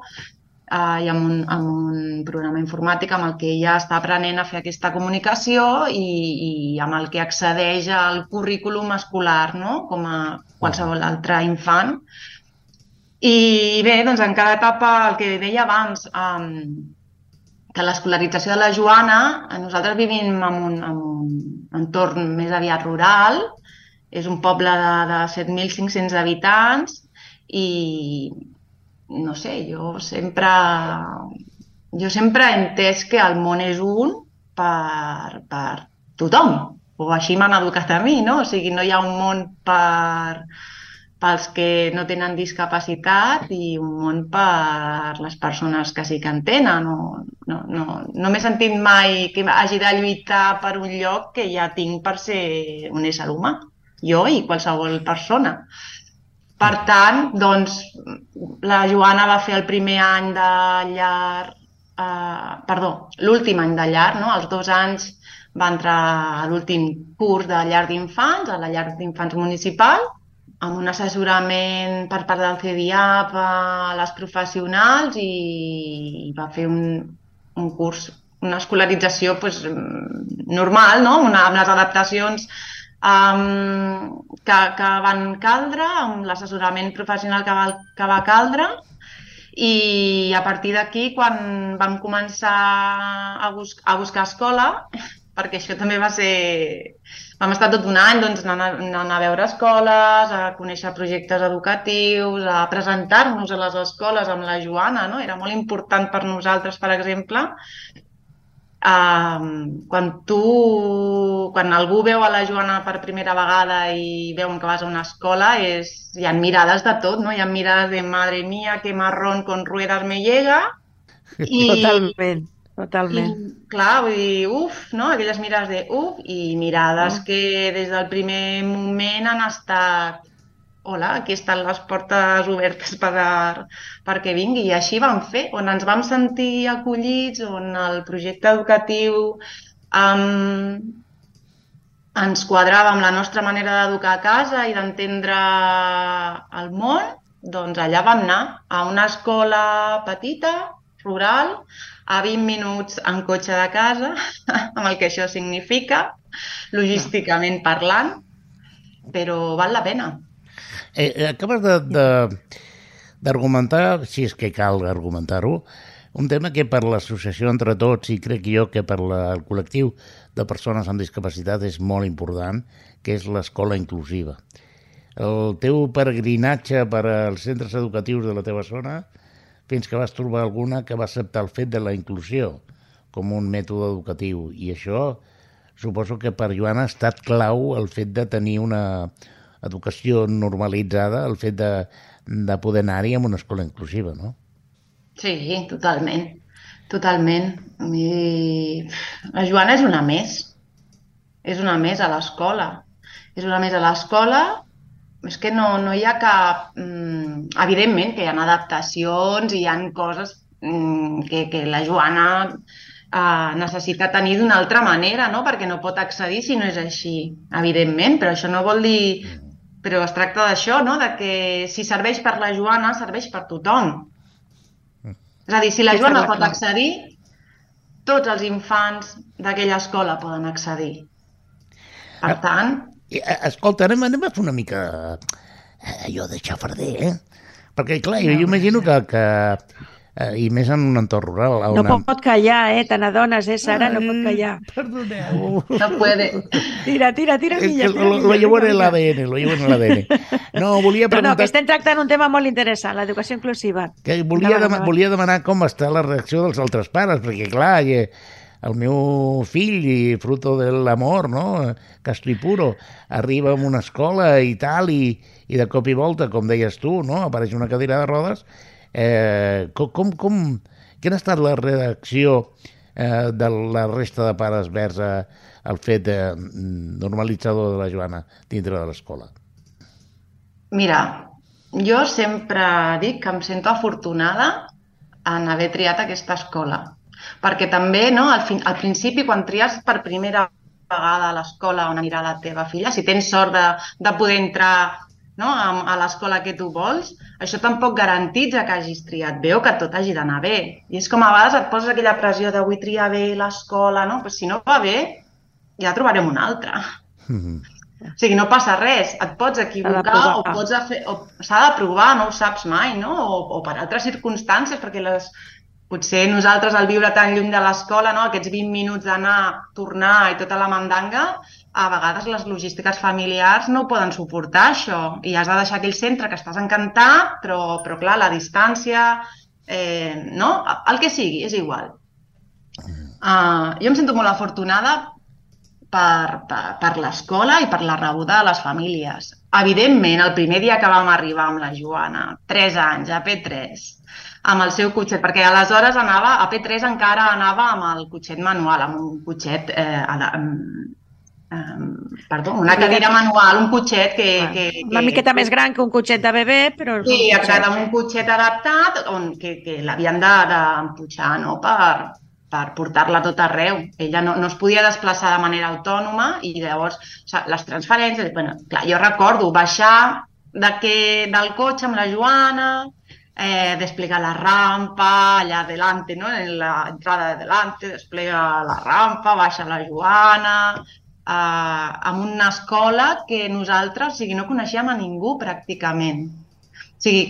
i amb un programa informàtic amb el que ja està aprenent a fer aquesta comunicació i amb el que accedeix al currículum escolar, no? Com a qualsevol altre infant. I bé, doncs en cada etapa, el que deia abans, que l'escolarització de la Joana, nosaltres vivim en un entorn més aviat rural, és un poble de 7.500 habitants i, no sé, jo sempre he entès que el món és un per tothom, o així m'han educat a mi, no? O sigui, no hi ha un món pels que no tenen discapacitat i un món per les persones que sí que en tenen. No m'he sentit mai que hagi de lluitar per un lloc que ja tinc per ser un ésser humà, jo i qualsevol persona. Per tant, doncs, la Joana va fer el primer any de llar, l'últim any de llar, no? Als 2 anys va entrar a l'últim curs de llar d'infants, a la llar d'infants municipal, amb un assessorament per part del CDIAP a les professionals i va fer un curs, una escolarització normal, no? Amb les adaptacions que van caldre, amb l'assessorament professional que va caldre, i a partir d'aquí, quan vam començar a buscar escola, perquè això també va ser... Vam estar tot un any anant a veure escoles, a conèixer projectes educatius, a presentar-nos a les escoles amb la Joana, no? Era molt important per nosaltres, per exemple, quan algú veu a la Joana per primera vegada i veuen que vas a una escola, hi ha mirades de tot, no? Hi ha mirades de madre mía, qué marrón con ruedas me llega. Totalment. I, clar, vull dir, no? Aquelles mirades de i mirades que des del primer moment han estat hola, aquí estan les portes obertes perquè vingui. I així vam fer, on ens vam sentir acollits, on el projecte educatiu ens quadrava amb la nostra manera d'educar a casa i d'entendre el món, doncs allà vam anar, a una escola petita, rural, a 20 minuts en cotxe de casa, amb el que això significa, logísticament parlant, però val la pena. Acabes d'argumentar, si és que cal argumentar-ho, un tema que per l'associació Entre Tots i crec jo que per el col·lectiu de persones amb discapacitat és molt important, que és l'escola inclusiva. El teu peregrinatge per als centres educatius de la teva zona, fins que vas trobar alguna que va acceptar el fet de la inclusió com un mètode educatiu. I això suposo que per Joana ha estat clau el fet de tenir una educació normalitzada, el fet de poder anar-hi en una escola inclusiva, no? Sí, totalment. Totalment. La Joana és una més. És una més a l'escola. És una més a l'escola. És que no hi ha cap... Evidentment que hi ha adaptacions i hi ha coses que la Joana necessita tenir d'una altra manera, no? Perquè no pot accedir si no és així, evidentment, però això no vol dir... Però es tracta d'això, no? De que si serveix per la Joana, serveix per tothom. És a dir, si la Joana pot accedir, tots els infants d'aquella escola poden accedir. Per tant... Escolta, anem a fer una mica allò de xafarder, Perquè, clar, jo imagino que i més en un entorn rural. No pot callar, te n'adones, Sara, no pot callar. Perdoneu. No puede. Tira, Milla. Lo llevo en el ADN. No, volia preguntar... No, que estem tractant un tema molt interessant, l'educació inclusiva. Que volia demanar com està la reacció dels altres pares, perquè, clar, el meu fill, fruto de l'amor, no? Castro i puro, arriba a una escola i tal, i de cop i volta, com deies tu, no? Apareix una cadira de rodes. Quina ha estat la reacció de la resta de pares vers el fet normalitzador de la Joana dintre de l'escola? Mira, jo sempre dic que em sento afortunada en haver triat aquesta escola, perquè també, no, al principi, quan tries per primera vegada a l'escola on anirà la teva filla, si tens sort de poder entrar, no, a l'escola que tu vols, això tampoc garantitza que hagis triat bé o que tot hagi d'anar bé. I és com a vegades et poses aquella pressió de vull triar bé l'escola, no? Però si no va bé, ja trobarem una altra. O sigui, no passa res, et pots equivocar o s'ha de provar, no ho saps mai, no? O per altres circumstàncies, perquè potser nosaltres al viure tan lluny de l'escola, no? Aquests 20 minuts d'anar, tornar i tota la mandanga, a vegades les logístiques familiars no ho poden suportar, això, i has de deixar aquell centre que estàs encantat, però clar, la distància, no? El que sigui, és igual. Jo em sento molt afortunada per l'escola i per la rebuda de les famílies. Evidentment, el primer dia que vam arribar amb la Joana, 3 anys, a P3, amb el seu cotxet, perquè aleshores a P3 encara anava amb el cotxet manual, amb un cotxet una cadira manual, un cotxet una miqueta més gran que un cotxet de bebè, però... Sí, exacte, un cotxet adaptat que l'havien d'empujar, no?, per portar-la tot arreu. Ella no es podia desplaçar de manera autònoma i llavors les transferències... Bueno, clar, jo recordo baixar del cotxe amb la Joana, desplegar la rampa allà delante, no?, en la entrada de delante, desplega la rampa, baixa la Joana... en una escola que nosaltres, no coneixíem a ningú pràcticament. O sigui,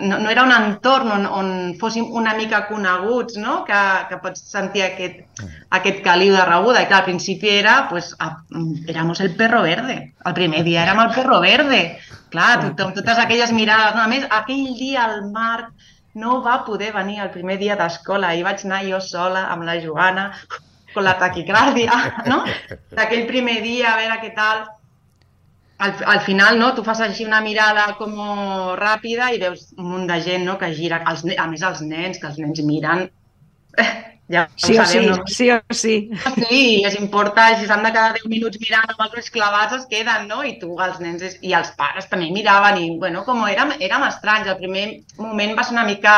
no era un entorn on fóssim una mica coneguts, no?, que pots sentir aquest caliu de rebuda. I clar, al principi éramos el perro verde. El primer dia érem el perro verde. Clar, totes aquelles mirades. No? A més, aquell dia el Marc no va poder venir el primer dia d'escola. Hi vaig anar jo sola amb la Joana, con la taquicàrdia, no? D'aquell primer dia, a veure què tal. Al final, no? Tu fas així una mirada com ràpida i veus un munt de gent, no?, que gira. A més, els nens, que els nens miren... Ja ho sabem, no? Sí o sí. Sí, els importa, si s'han de quedar 10 minuts mirant amb els ulls clavats es queden, no? I tu, els nens i els pares també miraven i, bueno, com érem estranys. El primer moment va ser una mica,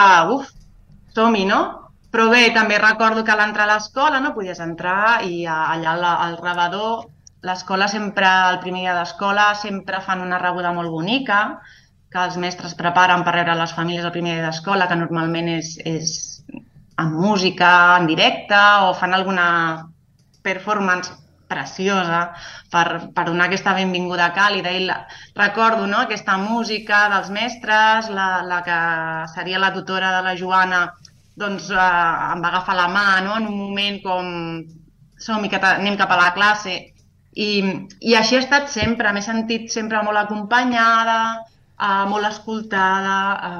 som-hi, no? Però bé, també recordo que a l'entrar a l'escola no podies entrar i allà al rebedor, l'escola sempre, el primer dia d'escola, sempre fan una rebuda molt bonica, que els mestres preparen per rebre les famílies el primer dia d'escola, que normalment és amb música, en directe, o fan alguna performance preciosa per donar aquesta benvinguda càlida. I recordo, no?, aquesta música dels mestres, la que seria la tutora de la Joana, doncs em va agafar la mà, no?, en un moment com som-hi, que anem cap a la classe. I així he estat sempre, m'he sentit sempre molt acompanyada, molt escoltada,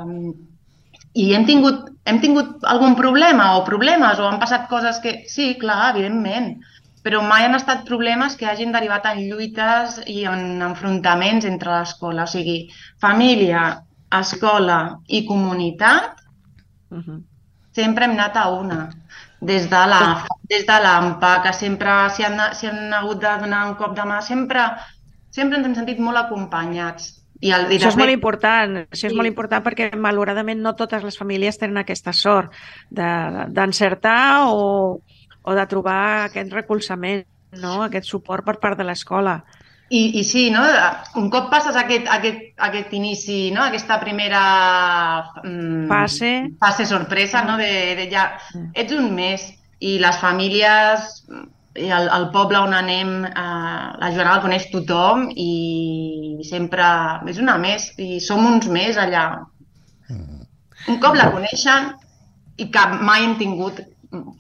i hem tingut algun problema o problemes, o han passat coses que... Sí, clar, evidentment, però mai han estat problemes que hagin derivat en lluites i en enfrontaments entre l'escola. O sigui, família, escola i comunitat, sempre hem anat a una. Des de l'AMPA, que sempre s'hi han hagut de donar un cop de mà, sempre ens hem sentit molt acompanyats. Això és molt important, perquè malauradament no totes les famílies tenen aquesta sort d'encertar o de trobar aquest recolzament, no?, aquest suport per part de l'escola. I sí, no? Un cop passes aquest inici, no?, aquesta primera fase sorpresa, no?, de ja ets un mes i les famílies i el poble on anem, la Joana la coneix tothom i sempre és una més i som uns més allà. Un cop la coneixen i que mai hem tingut,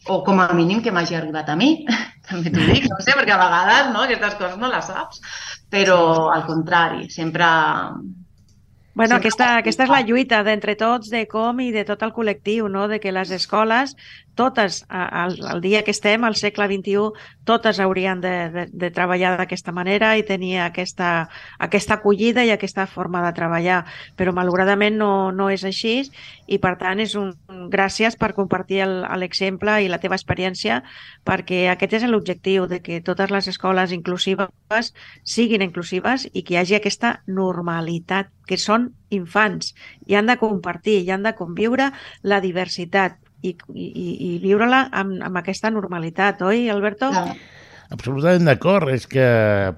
o com a mínim que m'hagi arribat a mi, també t'ho dic, no sé, perquè a vegades aquestes coses no les saps, però al contrari, sempre... Bueno, aquesta és la lluita d'entre tots, de com i de tot el col·lectiu, no?, de que les escoles, totes, al dia que estem, al segle XXI, totes haurien de treballar d'aquesta manera i tenir aquesta acollida i aquesta forma de treballar. Però malauradament no és així i, per tant, és gràcies per compartir l'exemple i la teva experiència, perquè aquest és l'objectiu, de que totes les escoles inclusives siguin inclusives i que hi hagi aquesta normalitat, que són infants i han de compartir i han de conviure la diversitat i viure-la amb aquesta normalitat, oi, Alberto? Absolutament d'acord. És que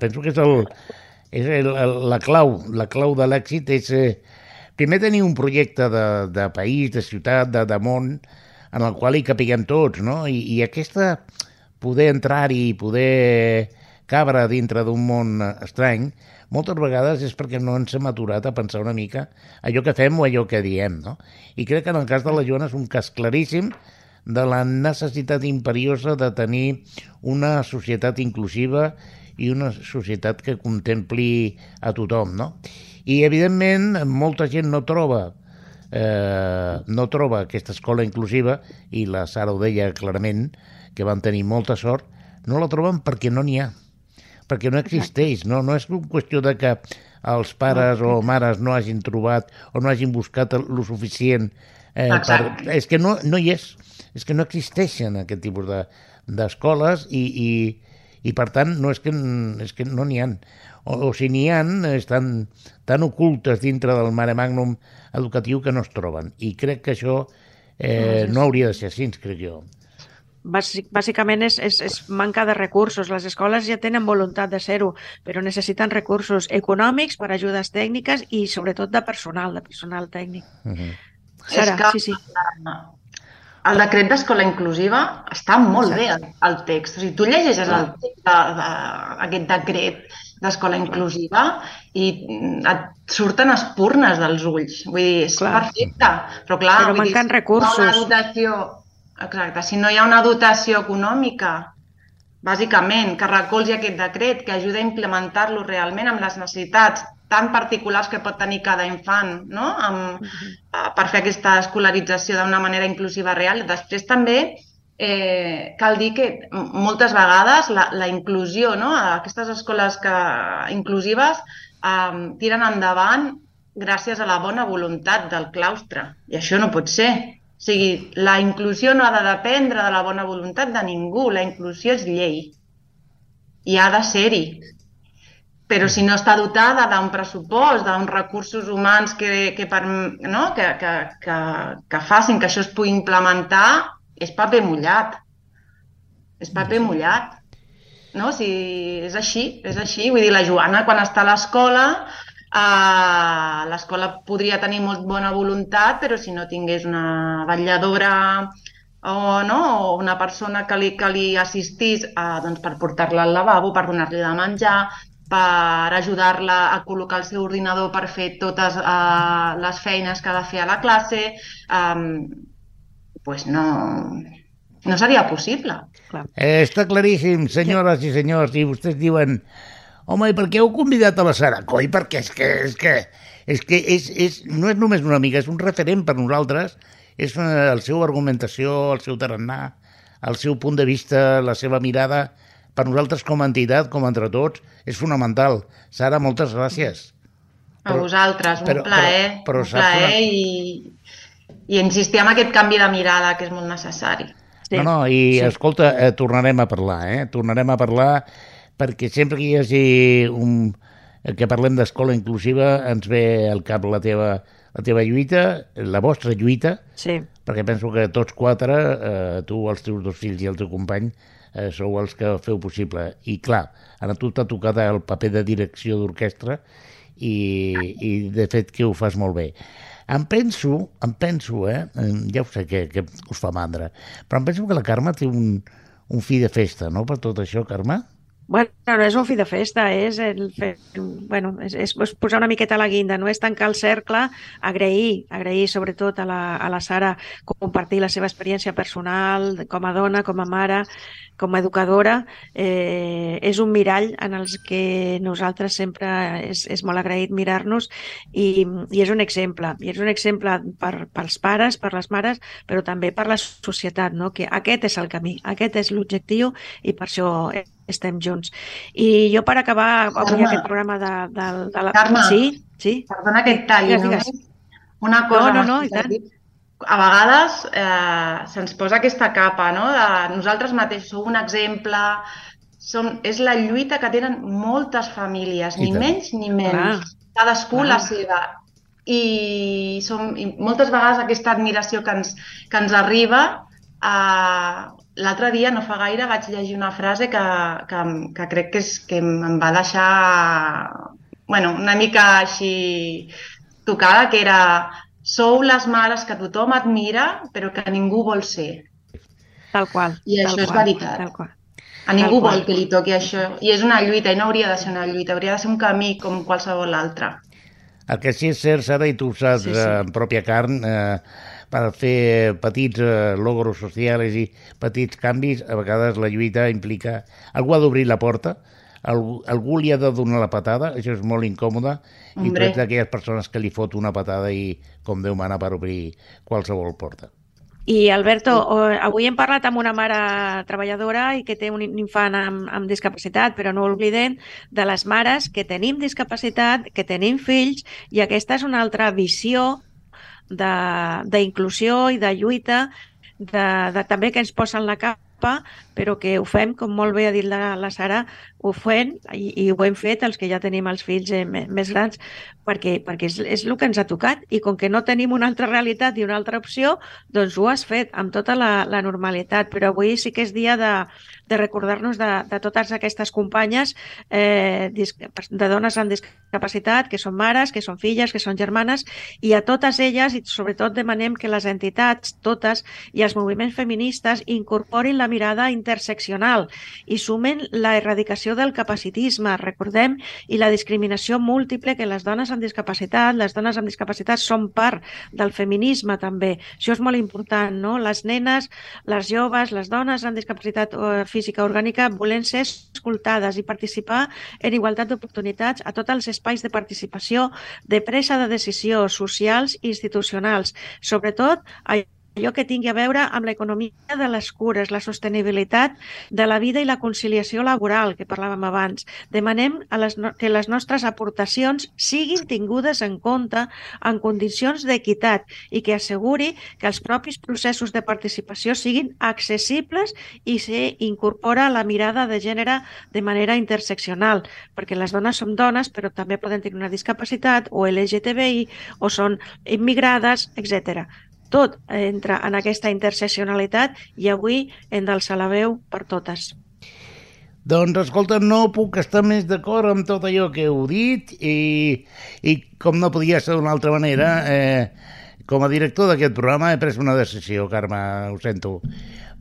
penso que la clau de l'èxit és primer tenir un projecte de país, de ciutat, de món, en el qual hi capiguem tots, no? I aquesta, poder entrar-hi, poder cabre dintre d'un món estrany, moltes vegades és perquè no ens hem aturat a pensar una mica allò que fem o allò que diem, no? I crec que en el cas de la Joana és un cas claríssim de la necessitat imperiosa de tenir una societat inclusiva i una societat que contempli a tothom, no? I, evidentment, molta gent no troba aquesta escola inclusiva, i la Sara ho deia clarament, que van tenir molta sort, no la troben perquè no n'hi ha, perquè no existeix, no és qüestió de que els pares o mares no hagin trobat o no hagin buscat lo suficient. És que no hi és que no existeixen aquest tipus d'escoles i I per tant, no és que no n'hi ha. O si n'hi ha, estan tan ocultes dintre del mare magnum educatiu que no es troben. I crec que això no hauria de ser així, crec jo. Bàsicament és manca de recursos. Les escoles ja tenen voluntat de ser-ho, però necessiten recursos econòmics per ajudes tècniques i sobretot de personal tècnic. Sara, sí. El decret d'escola inclusiva està molt bé, el text. O sigui, tu llegeixes el text d'aquest decret d'escola inclusiva i et surten espurnes dels ulls. Vull dir, és perfecte. Però manquen recursos. Exacte, si no hi ha una dotació econòmica, bàsicament, que recolzi aquest decret, que ajuda a implementar-lo realment amb les necessitats tan particulars que pot tenir cada infant, no? Per fer aquesta escolarització d'una manera inclusiva real. Després també cal dir que moltes vegades la inclusió, no? Aquestes escoles inclusives tiren endavant gràcies a la bona voluntat del claustre. I això no pot ser. O sigui, la inclusió no ha de dependre de la bona voluntat de ningú. La inclusió és llei. I ha de ser-hi. Però si no està dotada d'un pressupost, d'uns recursos humans que facin que això es pugui implementar, és paper mullat. És paper mullat. No? O sigui, és així. Vull dir, la Joana, quan està a l'escola podria tenir molt bona voluntat, però si no tingués una vetlladora o una persona que li assistís per portar-la al lavabo, per donar-li de menjar, per ajudar-la a col·locar el seu ordinador per fer totes les feines que ha de fer a la classe, doncs no seria possible. Està claríssim, senyores i senyors, i vostès diuen: home, i per què heu convidat a la Sara? Coi, perquè és que no és només una amiga, és un referent per nosaltres, és la seva argumentació, el seu tarannà, el seu punt de vista, la seva mirada, per nosaltres com a entitat, com entre tots, és fonamental. Sara, moltes gràcies. A vosaltres, un plaer i insistir en aquest canvi de mirada que és molt necessari. Escolta, tornarem a parlar, perquè sempre que hi hagi que parlem d'escola inclusiva ens ve al cap la teva lluita, la vostra lluita, perquè penso que tots quatre, tu, els teus dos fills i el teu company, sou els que feu possible. I clar, a tu t'ha tocat el paper de direcció d'orquestra i de fet que ho fas molt bé. Em penso, ja ho sé que us fa mandra, però em penso que la Carme té un fi de festa, no?, per tot això, Carme? Bueno, no és un fi de festa, és posar una miqueta a la guinda, no és tancar el cercle, agrair sobretot a la Sara compartir la seva experiència personal com a dona, com a mare, com a educadora. És un mirall en els que nosaltres sempre és molt agraït mirar-nos i és un exemple. I és un exemple pels pares, per les mares, però també per la societat, no? Que aquest és el camí, aquest és l'objectiu i per això estem junts. I jo, per acabar avui aquest programa de la... Carme, sí? Perdona que et talli, només una cosa. No, i tant. A vegades se'ns posa aquesta capa, no?, de nosaltres mateixos, sou un exemple, és la lluita que tenen moltes famílies, ni menys ni menys, cadascú la seva. I moltes vegades aquesta admiració que ens arriba. L'altre dia, no fa gaire, vaig llegir una frase que crec que em va deixar una mica així tocada, que era: sou les mares que tothom admira però que ningú vol ser. Tal qual. I això és veritat. A ningú vol que li toqui això. I és una lluita, i no hauria de ser una lluita, hauria de ser un camí com qualsevol altre. El que sí és cert, Sara, i tu ho saps en pròpia carn, per fer petits logros socials i petits canvis, a vegades la lluita implica... Algú ha d'obrir la porta, algú li ha de donar la patada, això és molt incòmode, i tu ets d'aquelles persones que li fot una patada i com Déu mana per obrir qualsevol porta. I, Alberto, avui hem parlat amb una mare treballadora i que té un infant amb discapacitat, però no oblidem de les mares que tenim discapacitat, que tenim fills, i aquesta és una altra visió d'inclusió i de lluita, també que ens posen la capa etapa, però que ho fem, com molt bé ha dit la Sara, ho fem i ho hem fet els que ja tenim els fills més grans, perquè és el que ens ha tocat, i com que no tenim una altra realitat i una altra opció, doncs ho has fet amb tota la normalitat. Però avui sí que és dia de recordar-nos de totes aquestes companyes de dones amb discapacitat, que són mares, que són filles, que són germanes, i a totes elles, i sobretot demanem que les entitats, totes, i els moviments feministes incorporin la mirada interseccional i sumen la erradicació del capacitisme, recordem, i la discriminació múltiple, que les dones amb discapacitat són part del feminisme també. Això és molt important, no? Les nenes, les joves, les dones amb discapacitat física orgànica volen ser escoltades i participar en igualtat d'oportunitats a tots els espais de participació, de presa de decisió socials i institucionals, sobretot allò que tingui a veure amb l'economia de les cures, la sostenibilitat de la vida i la conciliació laboral, que parlàvem abans. Demanem que les nostres aportacions siguin tingudes en compte en condicions d'equitat i que asseguri que els propis processos de participació siguin accessibles i s'incorpora la mirada de gènere de manera interseccional, perquè les dones som dones, però també poden tenir una discapacitat o LGTBI o són immigrades, etc. Tot entra en aquesta interseccionalitat i avui hem d'alçar la veu per totes. Doncs, escolta, no puc estar més d'acord amb tot allò que heu dit i com no podia ser d'una altra manera, com a director d'aquest programa he pres una decisió, Carme, ho sento.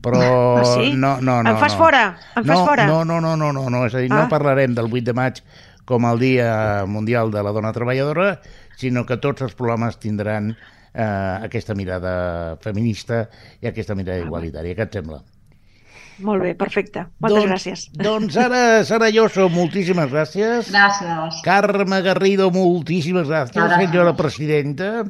Però sí? No. Em fas fora? No, és a dir, no parlarem del 8 de maig com el Dia Mundial de la Dona Treballadora, sinó que tots els programes tindran aquesta mirada feminista i aquesta mirada igualitària. Què et sembla? Molt bé, perfecte. Moltes gràcies. Doncs ara, Sara Lloso, moltíssimes gràcies. Gràcies. Carme Garrido, moltíssimes gràcies. Senyora presidenta.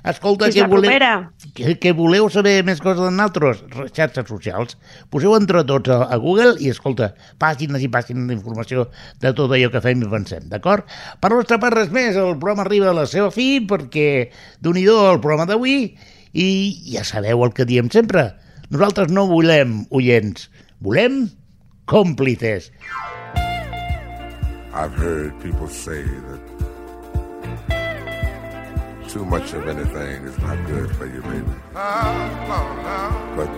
Escolta, que voleu saber més coses de nosaltres? Xarxes socials. Poseu entre tots a Google i, escolta, pàgines i pàgines d'informació de tot allò que fem i pensem, d'acord? Per la nostra part, res més, el programa arriba a la seva fi, perquè Déu-n'hi-do el programa d'avui, i ja sabeu el que diem sempre. Nosaltres no volem oients, volem còmplices. I've heard people say that too much of anything is not good for you, baby. But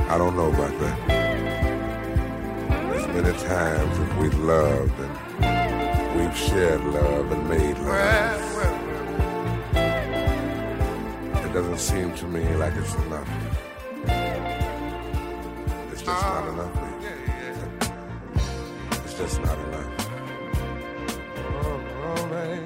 I don't know about that. There's many times that we've loved and we've shared love and made love. It doesn't seem to me like it's enough. It's just not enough, baby. It's just not enough. Oh, man.